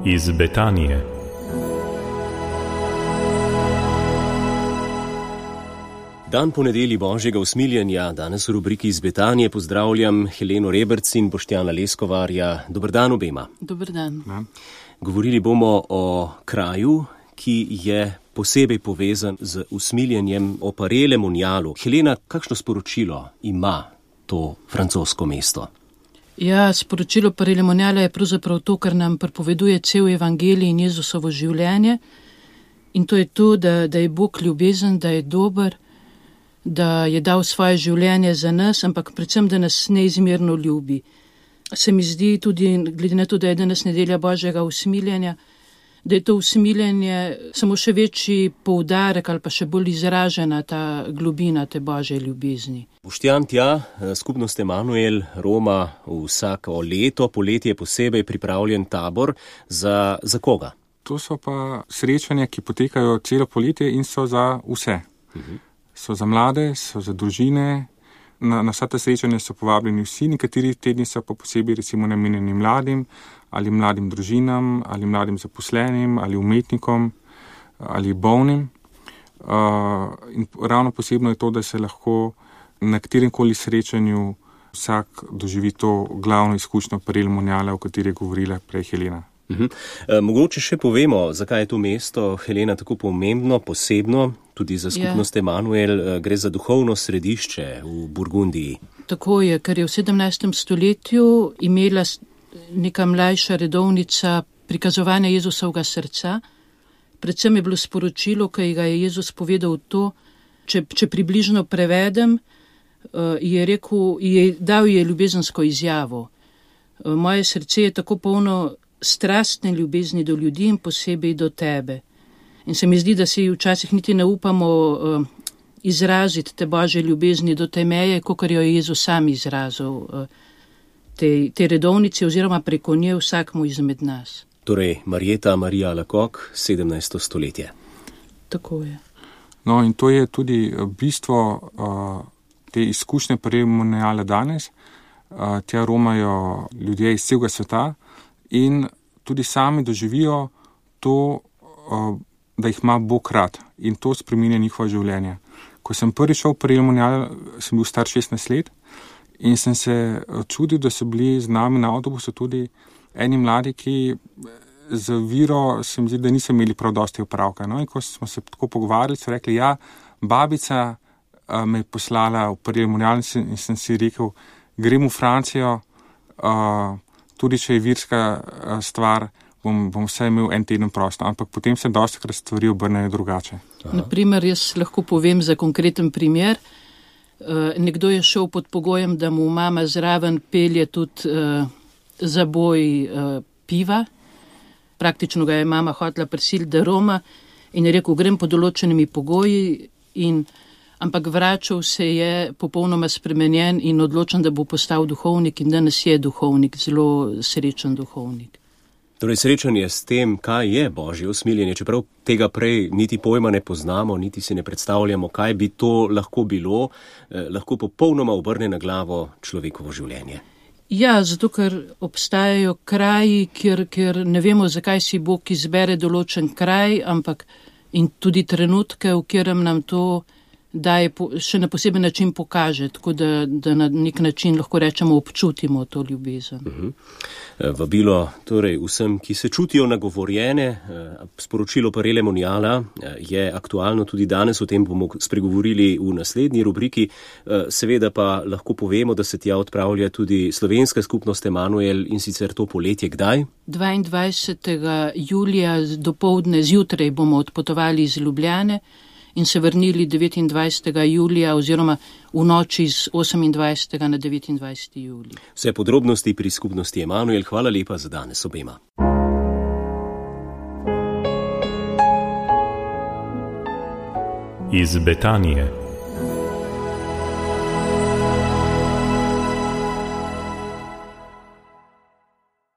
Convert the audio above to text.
Iz Betanije. Dan po nedelji Božjega usmiljenja, danes v rubriki Iz Betanije pozdravljam Heleno Reberc in Boštjana Leskovarja. Dober dan obema. Dober dan. Govorili bomo o kraju, ki je posebej povezan z usmiljenjem, o Parele Monjalu. Helena, kakšno sporočilo ima to francosko mesto? Ja, sporočilo Parele Monjala je pravzaprav to, kar nam pripoveduje cel evangelij in Jezusovo življenje. In to je to, da je Bog ljubezen, da je dober, da je dal svoje življenje za nas, ampak predvsem, da nas neizmerno ljubi. Se mi zdi tudi, glede na to, da je danes nedelja Božjega usmiljenja, da je to usmiljenje samo še večji poudarek ali pa še bolj izražena ta globina te Božje ljubezni. Boštjan, tja, skupnost Emanuel Roma vsako leto, poletje je posebej pripravljen tabor za koga? To so pa srečanja, ki potekajo celo poletje in so za vse. So za mlade, so za družine. Na vsa ta srečanja so povabljeni vsi, nekateri tedni so pa posebej recimo namenjeni mladim ali mladim družinam ali mladim zaposlenim ali umetnikom ali bolnim. In ravno posebno je to, da se lahko na kateremkoli srečanju vsak doživi to glavno izkušnjo Parele Monjala, o kateri je govorila prej Helena. Mogoče še povemo, zakaj je to mesto, Helena, tako pomembno, posebno, tudi za skupnost Emanuel, gre za duhovno središče v Burgundiji. Tako je, ker je v 17. stoletju imela neka mlajša redovnica prikazovanja Jezusovega srca. Predvsem je bilo sporočilo, ki ga je Jezus povedal to, če približno prevedem, dal je ljubezensko izjavo. Moje srce je tako polno strastne ljubezni do ljudi in posebej do tebe. In se mi zdi, da si včasih niti ne upamo izraziti te Božje ljubezni do te meje, kakor jo je Jezus sam izrazil te redovnice oziroma preko nje vsakmu izmed nas. Torej, Marija Alacoque, 17. stoletje. Tako je. No, in to je tudi bistvo te izkušnje Parele Monjala danes. Tja romajo ljudje iz celega sveta in tudi sami doživijo to, da jih ima Bog rad in to spreminja njihovo življenje. Ko sem prvi šel v Parele Monjal, sem bil star 16 let in sem se čudil, da so bili z nami na avtobusu tudi eni mladi, ki z viro se mi zdi, da niso imeli prav dosti opravka. No, in ko smo se tako pogovarjali, so rekli, ja, babica me je poslala v Parele Monjal in sem si rekel, grem v Francijo, tudi če je virska stvar, bom vse imel en teden prosto, ampak potem se dostikrat stvari obrnejo drugače. Naprimer, jaz lahko povem za konkreten primer. Nekdo je šel pod pogojem, da mu mama zraven pelje tudi zaboj piva. Praktično ga je mama hotela prisiliti, da roma in je rekel, grem pod določenimi pogoji, ampak vračal se je popolnoma spremenjen in odločen, da bo postal duhovnik in danes je duhovnik, zelo srečen duhovnik. Torej, srečanje s tem, kaj je Božje usmiljenje, čeprav tega prej niti pojma ne poznamo, niti si ne predstavljamo, kaj bi to lahko bilo, lahko popolnoma obrne na glavo človekovo življenje. Ja, zato ker obstajajo kraji, kjer ne vemo, zakaj si Bog izbere določen kraj, ampak in tudi trenutke, v katerem nam to daje še na poseben način pokaže, tako da na nek način lahko rečemo občutimo to ljubezen. Vabilo torej vsem, ki se čutijo nagovorjene, sporočilo Parele Monjala je aktualno tudi danes, o tem bomo spregovorili v naslednji rubriki, seveda pa lahko povemo, da se tja odpravlja tudi slovenska skupnost Emanuel in sicer to poletje kdaj? 22. julija dopoldne zjutraj bomo odpotovali iz Ljubljane in se vrnili 29. julija oziroma v noči z 28. na 29. julij. Vse podrobnosti pri skupnosti Emanuel. Hvala lepa za danes obema. Iz Betanije.